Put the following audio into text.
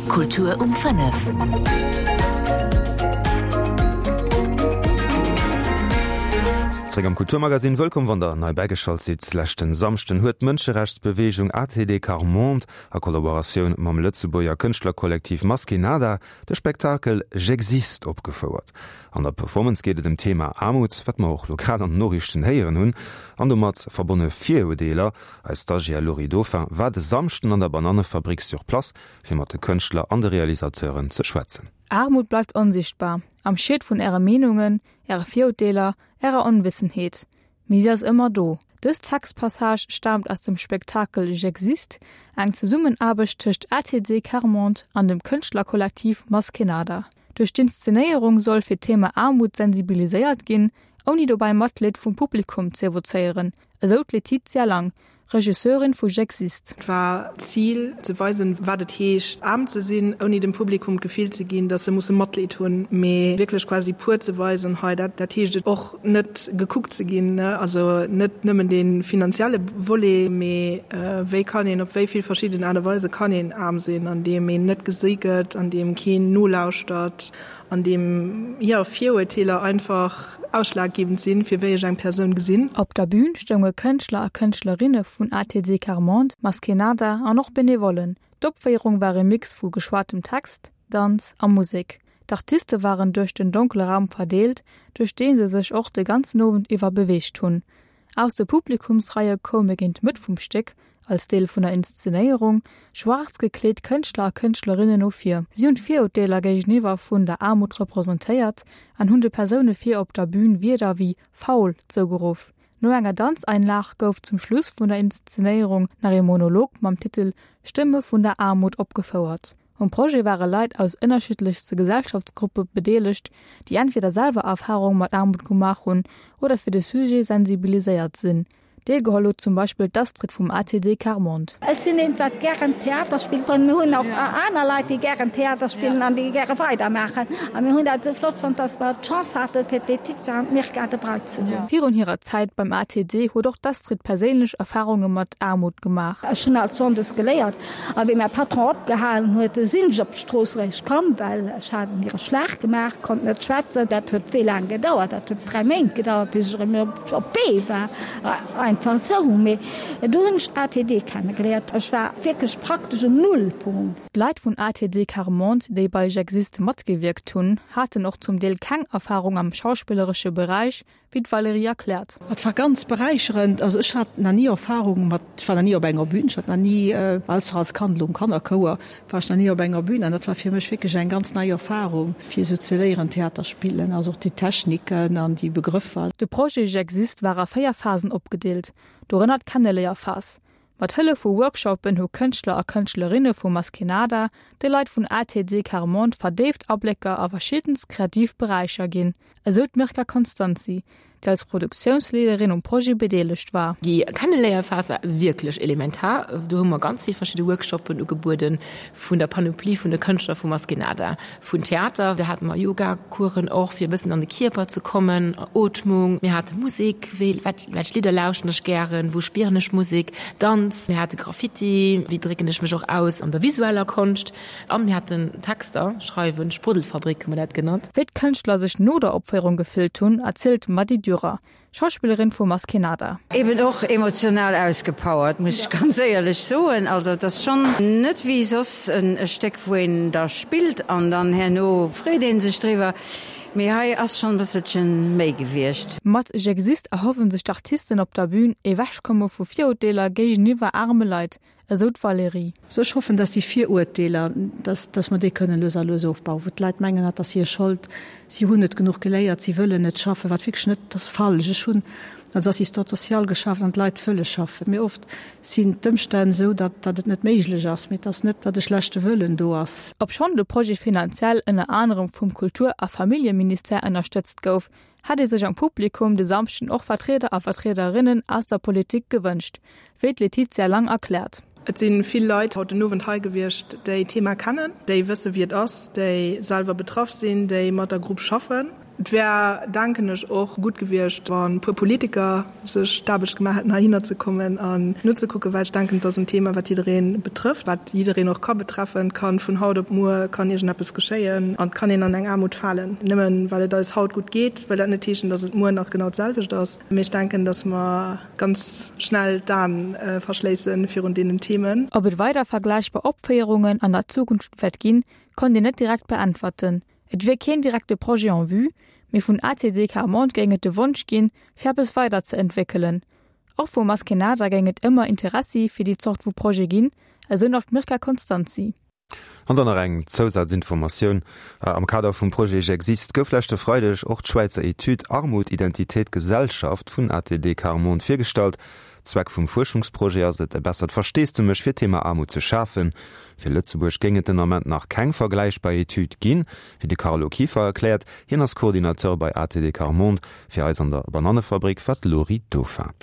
Kultur um 5. Zréck am Kulturmagazin, wëllkomm wann der nei bäigeschalt sidd. Leschten Samschden huet d'Mënscherechtsbeweegung ATD Quart Monde a Kollaboratioun mam Lëtzebuerger Kënschtlerkollektiv Maskénada de Spektakel J'existe opgefouert. An der Performance geet et ëm d'Thema Aarmut, wat mer och lo grad an den Noriichten héieren hunn, an domat verbonne Virurdeeler. Eis Stagiaire Laurie Dauphin war de Samschden an der Banannefabrik sur place, fir mat de Kënschtler an de Realisateuren ze schwätzen. Aarmut bleift onsichtbar, am Schiet vun äre Meenungen, äre Virurteeler, ärer Onwissenheet. Mee si ass ëmmer do. Dës Textpassage staamt aus dem Spektakel J'existe, eng Zesummenaarbecht tëscht ATD Quart-Monde an dem Kënschtlerkollektiv Maskénada. Duerch d'Inszenéierung soll fir d'Thema Aarmut sensibiliséiert ginn, ouni dobäi Matleed vum Publikum z'evozéieren, esou d'Laetitia Lang, Regisseurin vu J'existe. Et war d'Zil, ze weisen, wat et heescht, aarm ze sinn, ouni dem Publikum d'Gefill ze ginn, datt se musse Matleed hunn, mee wierklech quasi pur ze weisen, hei, dat, dat heescht et och, net gekuckt ze ginn, also net nëmmen dee finanzielle Volet, mee wéi kann een, op wéi vill verschidden Aart a Weise kann een aarm sinn, an deem een net gesi gëtt, an deem keen nolauschtert, an deem, jo, Virurteeler einfach ausschlaggebend sinn, fir wéi ech eng Persoun gesinn. Op der Bün stounge Kënschtler a Kënschtlerinne vun ATD Quart-Monde, Maskénada an och Benevollen. D'Opféierung war e Mix vu geschwatem Text, Danz a Musek. D'Artiste waren duerch den donkele Raum verdeelt, duerch dee se sech och de ganzen Owend iwwer beweegt hunn. Aus de Publikumsreie koume géint Mëtt vum Stéck, als Deel vun der Inszenéierung, schwaarz gekleet Kënschtler a Kënschtlerinnen no vir. Si hunn d'Virurteeler géigeniwwer vun der Aarmut representéiert an hunn de Persoune vir op der Bün Wierder wéi faul zougeruff. No enger Danzeinlag gouf zum Schluss vun der Inszenéierung nach ee Monolog mam Titel Stëmme vun der Aarmut opgefouert. Um Projet ware Leit aus ënnerschiddlechste Gesellschaftsgruppe bedeelegt, déi entweder selwer Erfarung mat Aarmut gemaach hunn oder fir de Sujet sensibiliséiert sinn. Deelgeholl huet zum Beispill d'Astrid vum ATD Quart-Monde. Ech sinn eent, wat gären Theater spillt. An mir hunn och aner Leit, déi gären Theater spillen an déi gäre weidermaachen. A mir hunn dat esou flott fonnt, dass mer d'Chance haten, fir d'Laetitia an d'Mirka dobei ze hunn. Virun hirer Zäit beim ATD huet och d'Astrid perséinlech Erfarunge mat Aarmut gemaach. Ech hunn als Sonndes geléiert. A wéi mäi Patron opgehalen huet, du sinn ech op d'Strooss eréischt komm, well ech hat mir e Schlag gemaach, konnt net schwätzen. Dat huet wéi laang gedauert? Dat huet 3 Méint gedauert, bis ech erëm op d'Bee war. Einfach esou. Mee du hunn ech ATD kennegeléiert. Ech war wierklech praktesch um Nullpunkt. D'Leit vun ATD Quart Monde, déi bei J'existe matgewierkt hunn, haten och zum Deel keng Erfarung am schauspilleresche Beräich, wéi d'Valérie erkläert. Et war ganz beräicherend. Also ech hat nach ni Erfahrung mat, ech war nach ni op enger Bühn, ech hat nach ni, ausser als Kand elo um Kannerchouer, war ech nach ni op enger Bühn an dat war fir mech wierklech eng ganz nei Erfahrung, fir esou ze léieren Theater spillen, also och déi Techniken an déi Begrëffer. De Projet J'existe war a 4 Phasen opgedeelt, dorënner d'Kenneléierphas. Mat Hëllef vu Workshoppen hu Kënschtler a Kënschtlerinne vu Maskénada de Leit vun ATD Quart Monde verdéift Ablécker a verschiddenst kreativ Beräicher ginn, esou d'Mirka Constanzi, déi als Produktiounsleederin um Projet bedeelegt war. Déi Kenneléierphas war wierklech elementar. Do hu mer ganz vill verschidde Workshoppen ugebueden, vun der Panoplie vun de Kënschtler vu Maskénada, vun Theater, do hate mer Yoga-Coursen och, fir e bëssen an de Kierper ze kommen, Ootmung, mir hate Musek, wéi, wat Welch Lidder lauschten ech gären? Wou spieren ech Musek? Danz, mir hate Graffiti, wéi drécken ech mech och aus an der visueller Konscht? An mir haten Texter schreiwen, Spruddelfabrik hu mer dat genannt. Wéi d'Kënschtler sech no der Opféierung gefillt hunn, erzielt d'Mady Dürer, Schauspillerin vu Maskénada. Eben och emotional ausgepowert, muss ech ganz éierlech soen. Also et ass schonn net wéi soss e Stéck, wou een da spillt an dann herno freet ee sech driwwer. Mee hei ass schon e bësselchen méi gewiescht. Mat J'existe erhoffen sech d'Artisten op der Bühn, Ewechkomme vu Virurteeler géigeniwwer aarme Leit, esou d'Valérie. Also ech hoffen, dass déi Virurteeler, dass, dass mer déi kënnen lues a lues ofbauen, wou d'Leit mengen, dat ass hir Schold, si hunn net genuch geléiert, si wëllen net schaffen, wat wierklech net, dat ass falsch. Ech hunn als Assistante sociale geschafft an d'Leit wëlle schaffen, mee oft sinn d'Ëmstänn esou, datt datt et net méiglech ass, mee et ass net, datt e schlechte Wëllen do ass. Obschonn de Projet finanziell ënner anerem vum Kultur a Familljeministère ënnerstëtzt gouf, hätt ee sech am Publikum de Samschden och Vertrieder a Vertriederinnen aus der Politik gewënscht, wéi d'Laetitia Lang erkläert. Et si vill Leit haut den Owend hei gewiescht, déi d'Thema kennen, déi wësse wéi et ass, déi selwer betraff sinn, déi mat der Grupp schaffen. Et wär, denken ech, och gutt gewiescht, wa puer Politiker sech d'Aarbecht gemaach hätten, heihinner ze kommen an nozekucken, well ech denken, et ass en Thema, wat jidderee betrëfft, wat jiddereen och ka betreffen. Et kann vun haut op muer kann iergendeppes geschéien an et kann een an eng Aarmut falen. Nëmmen well et eis haut gutt geet, wëll dat net heeschen, datt et muer nach genau d'selwecht ass. Mee ech denken, datt mer ganz schnell d'Aen verschléisse virun deenen Themen. Ob et weider vergläichbar Opféierungen an der Zukunft wäert ginn, konnt een net direkt beäntwerten. Et wier keen direkte Projet en vue, mee vun ACD Quart Monde géing et de Wonsch ginn, fir eppes weider ze entwéckelen. Och vu Maskenada géing et ëmmer Interessi fir déi Zort vu Projet ginn, esou nach d'Mirka Constanzi. An dann nach eng Zousazinformatioun, Am Kader vum Projet J'existe gouf leschte Freideg och d'Schwäizer Etüd Armut, Identität, Gesellschaft vun ATD Quart Monde virgestallt. Zweck vum Fuerschungsprojet ass et, e bessert Versteesdemech fir d'Thema Aarmut ze schafen. Fir Lëtzebuerg géing et den Ament nach keng vergläichbar Etüd ginn, wéi de Carlo Kieffer erkläert. Hien ass Coordinateur bei ATD Quart Monde. Fir eis an der Banannefabrik war d'Lori Dauphin.